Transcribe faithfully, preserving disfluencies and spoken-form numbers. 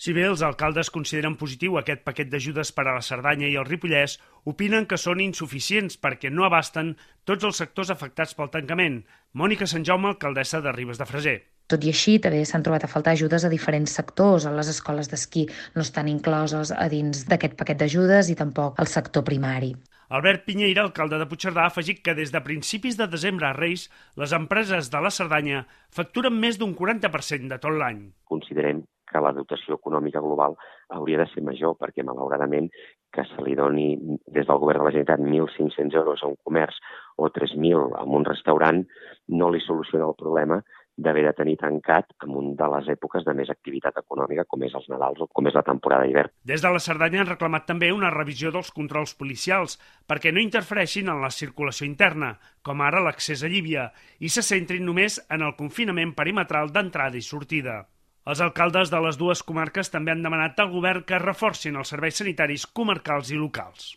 Si bé els alcaldes consideren positiu aquest paquet d'ajudes per a la Cerdanya i el Ripollès, opinen que són insuficients perquè no abasten tots els sectors afectats pel tancament. Mònica Sant Jaume, alcaldessa de Ribes de Freser. Tot i així, també s'han trobat a faltar ajudes a diferents sectors. Les escoles d'esquí no estan incloses a dins d'aquest paquet d'ajudes i tampoc el sector primari. Albert Piñeira, alcalde de Puigcerdà, ha afegit que des de principis de desembre a Reis, les empreses de la Cerdanya facturen més d'un quaranta per cent de tot l'any. Considerem que la dotació econòmica global hauria de ser major, perquè malauradament que se li doni des del govern de la Generalitat mil cinc-cents euros a un comerç o tres mil a un restaurant no li soluciona el problema d'haver de tenir tancat en una de les èpoques de més activitat econòmica, com és els Nadals o com és la temporada d'hivern. Des de la Cerdanya han reclamat també una revisió dels controls policials perquè no interfereixin en la circulació interna, com ara l'accés a Llívia, i se centrin només en el confinament perimetral d'entrada i sortida. Els alcaldes de les dues comarques també han demanat al govern que reforcin els serveis sanitaris comarcals i locals.